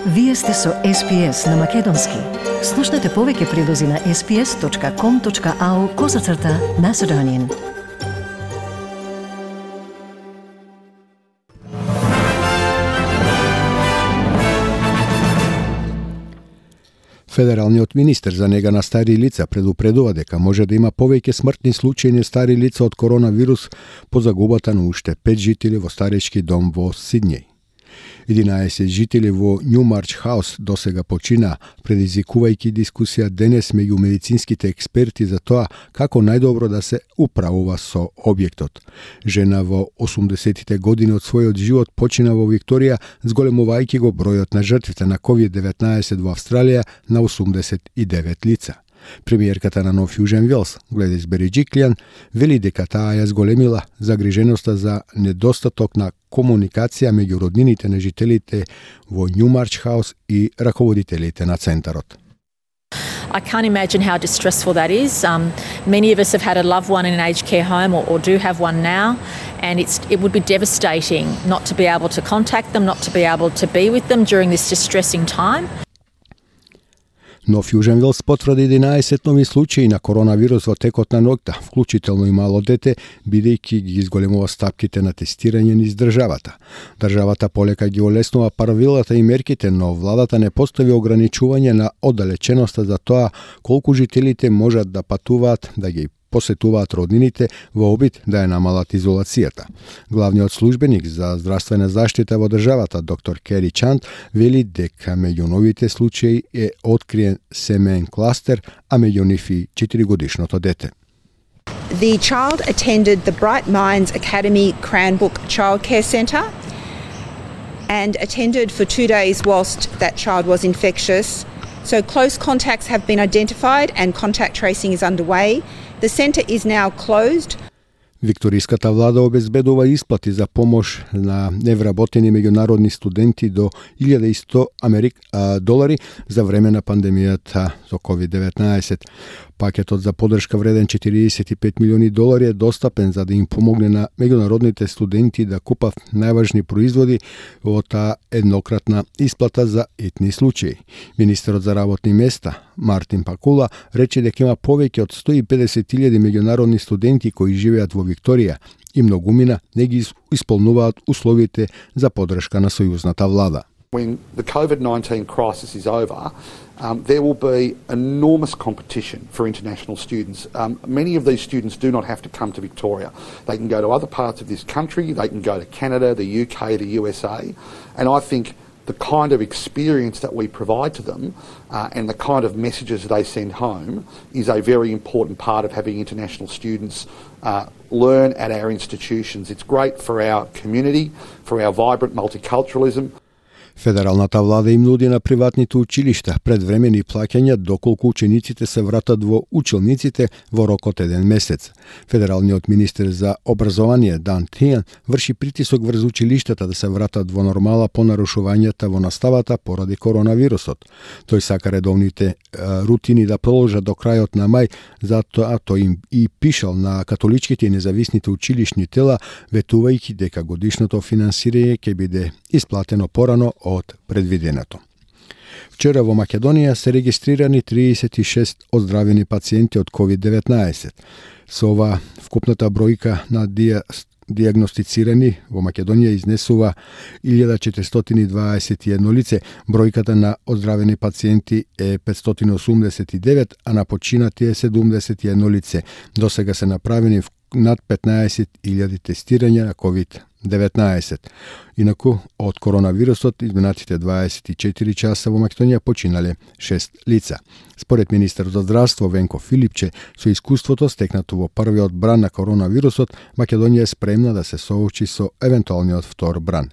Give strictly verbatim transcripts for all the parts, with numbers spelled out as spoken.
Вие сте со Ес Би Ес на Македонски. Слушнете повеќе прилози на ес би ес точка ком точка ау козацрта Macedonian. Федералниот министер за нега на стари лица предупредува дека може да има повеќе смртни случаи на стари лица од коронавирус по загубата на уште пет жители во старечки дом во Сиднеј. единаесет жители во Нјумарч Хаус досега почина, предизвикувајќи дискусија денес меѓу медицинските експерти за тоа како најдобро да се управува со објектот. Жена во осумдесетите години од својот живот почина во Викторија, зголемувајќи го бројот на жртвите на ковид деветнаесет во Австралија на осумдесет и девет лица. Премиерката на Нов Јужен Велс, Гледис Бериџиклијан, вели дека таа ја зголемила загриженоста за недостаток на комуникација меѓу роднините на жителите во Нјумарч Хаус и раководителите на центарот. I can't imagine how distressful that is. Um, many of us have had a loved one in an aged care home or, or do have one now, and it's, it would be devastating not to be able to contact them, not to be able to be with them during this distressing time. Нов Јужен Велс потврди единаесет нови случаи на коронавирус во текот на ноќта, вклучително и мало дете, бидејќи ги изголемува стапките на тестирање низ државата. Државата полека ги олеснува правилата и мерките, но владата не постави ограничување на оддалеченоста за тоа колку жителите можат да патуваат, да ги посетуваат роднините во обид да ја намалат изолацијата. Главниот службеник за здравствена заштита во државата, доктор Кери Чанд, вели дека меѓу новите случаи е откриен семеен кластер, а меѓу нив и четиригодишното дете. The child attended the Bright Minds Academy Cranbrook Childcare Centre and attended for two days whilst that child was infectious. So close contacts have been identified and contact tracing is underway. The centre is now closed. Викториската влада обезбедува исплати за помош на невработени меѓународни студенти до илјада и сто Америк, а, долари за време на пандемијата со ковид деветнаесет. Пакетот за поддршка вреден четириесет и пет милиони долари е достапен за да им помогне на меѓународните студенти да купат најважни производи во таа еднократна исплата за етни случаи. Министерот за работни места Мартин Пакула рече дека има повеќе од сто и педесет илјади меѓународни студенти кои живеат во Викторија и многумина не ги исполнуваат условите за поддршка на сојузната влада. When the COVID nineteen crisis is over, um, there will be enormous competition for international students. Um, many of these students do not have to come to Victoria. They can go to other parts of this country, they can go to Canada, the U K, the U S A, and I think the kind of experience that we provide to them uh, and the kind of messages they send home is a very important part of having international students uh, learn at our institutions. It's great for our community, for our vibrant multiculturalism. Федералната влада им нуди на приватните училишта предвремени плаќања доколку учениците се вратат во училниците во рок од еден месец. Федералниот министер за образование Дан Тијан врши притисок врз училиштата да се вратат во нормала по нарушувањата во наставата поради коронавирусот. Тој сака редовните а, рутини да продолжат до крајот на мај, затоа тој им и пишал на католичките и независните училишни тела, ветувајќи дека годишното финансирање ќе биде исплатено порано од предвиденото. Вчера во Македонија се регистрирани триесет и шест оздравени пациенти од ковид деветнаесет. Со ова вкупната бројка на диа, диагностицирани во Македонија изнесува илјада четиристотини и дваесет и едно лице. Бројката на оздравени пациенти е петстотини и осумдесет и девет, а на починати е седумдесет и едно лице. Досега се направени над петнаесет илјади тестирања на ковид деветнаесет. Инаку, од коронавирусот изминатите дваесет и четири часа во Македонија починале шест лица. Според министерот за здравство Венко Филипче, со искуството стекнато во првиот бран на коронавирусот, Македонија е спремна да се соочи со евентуалниот втор бран.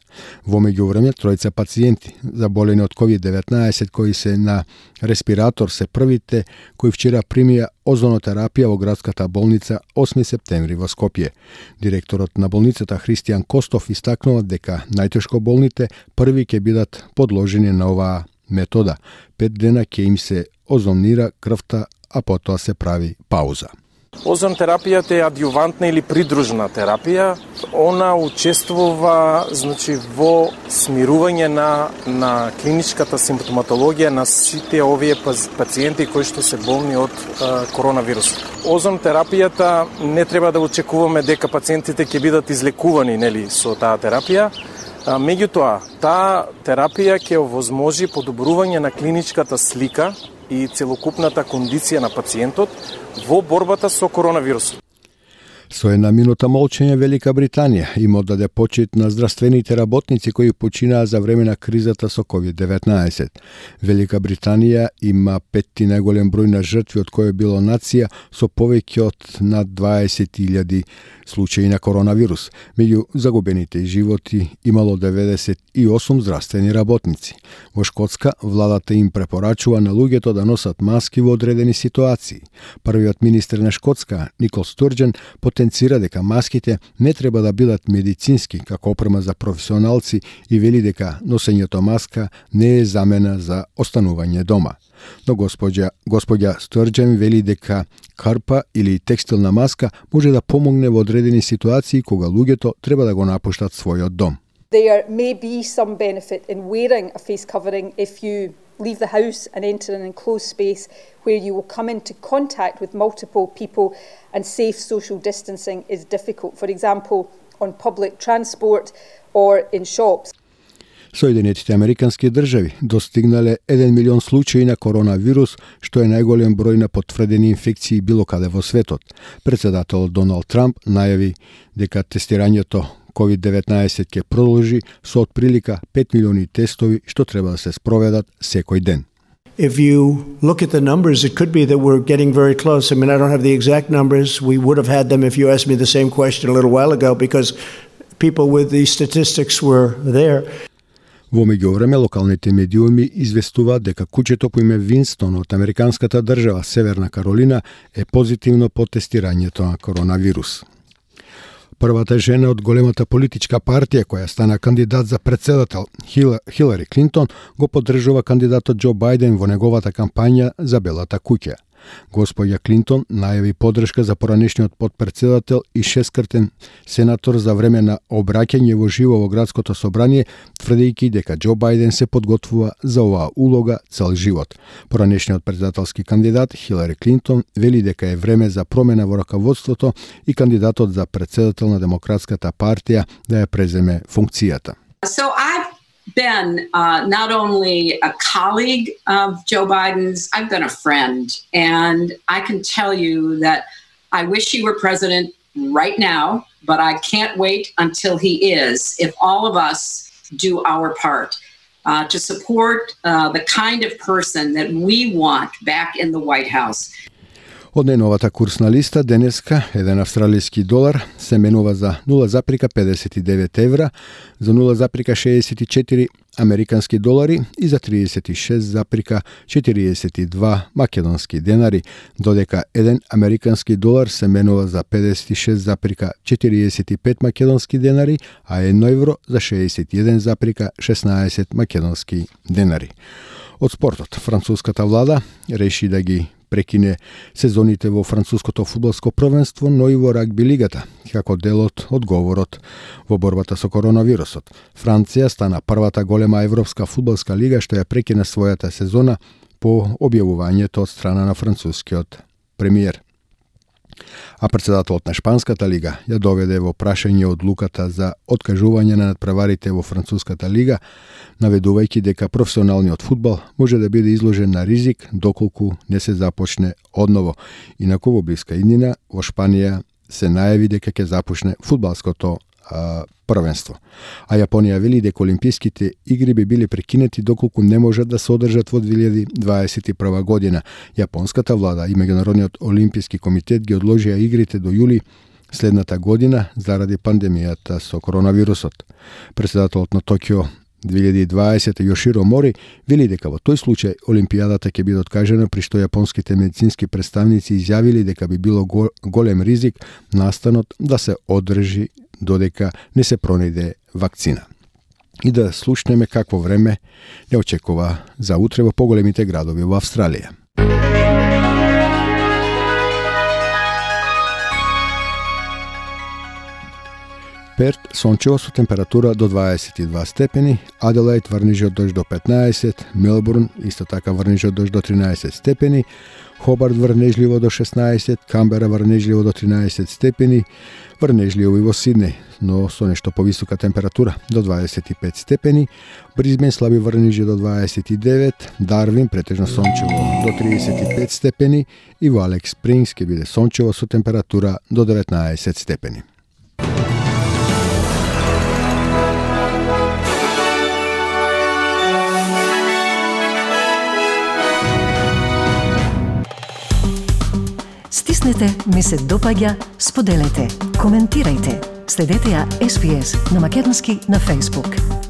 Во меѓувреме, тројца пациенти заболени од ковид деветнаесет кои се на респиратор се првите кои вчера примија озонотерапија во градската болница осми септември во Скопје. Директорот на болницата Христијан Костов истакнува дека најтешко болните први ќе бидат подложени на оваа метода. Пет дена ќе им се озонира крвта, а потоа се прави пауза. Озонотерапијата е адјувантна или придружна терапија. Она учествува, значи, во смирување на на клиничката симптоматологија на сите овие пациенти кои што се болни од а, коронавирус. Озонотерапијата не треба да очекуваме дека пациентите ќе бидат излекувани, нели, со таа терапија. А, меѓутоа, таа терапија ќе овозможи подобрување на клиничката слика и целокупната кондиција на пациентот во борбата со коронавирусот. Со една минута молчење Велика Британија им оддаде почит на здравствените работници кои починаа за време на кризата со ковид деветнаесет. Велика Британија има петти најголем број на жртви од која било нација со повеќе од над дваесет илјади случаи на коронавирус. Меѓу загубените животи имало деветдесет и осум здравствени работници. Во Шкотска владата им препорачува на луѓето да носат маски во одредени ситуации. Првиот министер на Шкотска, Никол Стурджен, потенцира дека маските не треба да бидат медицински како опрема за професионалци и вели дека носењето маска не е замена за останување дома. Но господја, господја Стурджен вели дека карпа или текстилна маска може да помогне во одредени ситуации кога луѓето треба да го напуштат својот дом. There may be some benefit in wearing a face covering if you leave the house and enter an enclosed space where you will come into contact with multiple people and safe social distancing is difficult. For example, on public transport or in shops. Соединетите Американски држави достигнале еден милион случаи на коронавирус, што е најголем број на потврдени инфекции било каде во светот. Председателот Доналд Трамп најави дека тестирањето ковид деветнаесет ќе продолжи со отприлика пет милиони тестови што треба да се спроведат секој ден. If you look at the numbers, it could be that we're getting very close. I mean, I don't have the exact numbers. We would have had them if you asked me the same question a little while ago because people with the statistics were there. Во меѓувреме, локалните медиуми известуваат дека куќето по име Винстон од американската држава Северна Каролина е позитивно по тестирањето на коронавирус. Првата жена од големата политичка партија која стана кандидат за председател, Хилари Клинтон, го поддржува кандидатот Џо Бајден во неговата кампања за Белата куќа. Господја Клинтон најави поддршка за поранешниот подпредседател и шесткратен сенатор за време на обраќање во живо во градското собрание, тврдејќи дека Џо Бајден се подготвува за оваа улога цел живот. Поранешниот председателски кандидат Хилари Клинтон вели дека е време за промена во раководството и кандидатот за председател на Демократската партија да ја преземе функцијата. So I've been uh, not only a colleague of Joe Biden's, I've been a friend. And I can tell you that I wish he were president right now, but I can't wait until he is, if all of us do our part uh, to support uh, the kind of person that we want back in the White House. Од најновата курсна листа денеска еден австралиски долар се менува за нула запирка педесет и девет евра, за нула запирка шеесет и четири американски долари и за тридесет и шест запирка четириесет и два македонски денари, додека еден американски долар се менува за педесет и шест запирка четириесет и пет македонски денари, а едно евро за шеесет и еден запирка шеснаесет македонски денари. Од спортот, француската влада реши да ги прекине сезоните во француското фудбалско првенство, но и во рагби лигата, како дел од одговорот во борбата со коронавирусот. Франција стана првата голема европска фудбалска лига што ја прекина својата сезона по објавувањето од страна на францускиот премиер. А председателот на Шпанската лига ја доведе во прашање одлуката за откажување на надпреварите во Француската лига, наведувајќи дека професионалниот фудбал може да биде изложен на ризик доколку не се започне одново. Инаку во блиска иднина во Шпанија се најави дека ќе започне фудбалското а, првенство. А Јапонија вели дека Олимписките игри би били прекинети доколку не можат да се одржат во две илјади дваесет и прва година. Јапонската влада и Меѓународниот олимписки комитет ги одложија игрите до јули следната година заради пандемијата со коронавирусот. Председателот на Токио две илјади и дваесета Јоширо Мори вели дека во тој случај Олимпијадата ќе биде откажена, при што јапонските медицински представници изјавили дека би било голем ризик настанот да се одржи додека не се пронајде вакцина. И да слушнеме какво време не очекува за утре во поголемите градови во Австралија. Перт сончево со температура до дваесет и два степени, Аделаид врнежи од дожд до петнаесет, Мелбурн исто така врнежи од дожд до тринаесет степени, Хобарт врнежливо до шеснаесет, Камбера врнежливо до тринаесет степени, врнежливо и во Сиднеј, но со нешто повисока температура до дваесет и пет степени, Бризбен слаби врнежи до дваесет и девет, Дарвин претежно сончево до триесет и пет степени и во Алекс Спрингс ќе биде сончево со температура до деветнаесет степени. Стиснете, ми се допаѓа, споделете, коментирајте. Следете ја Ес Би Ес на македонски на Facebook.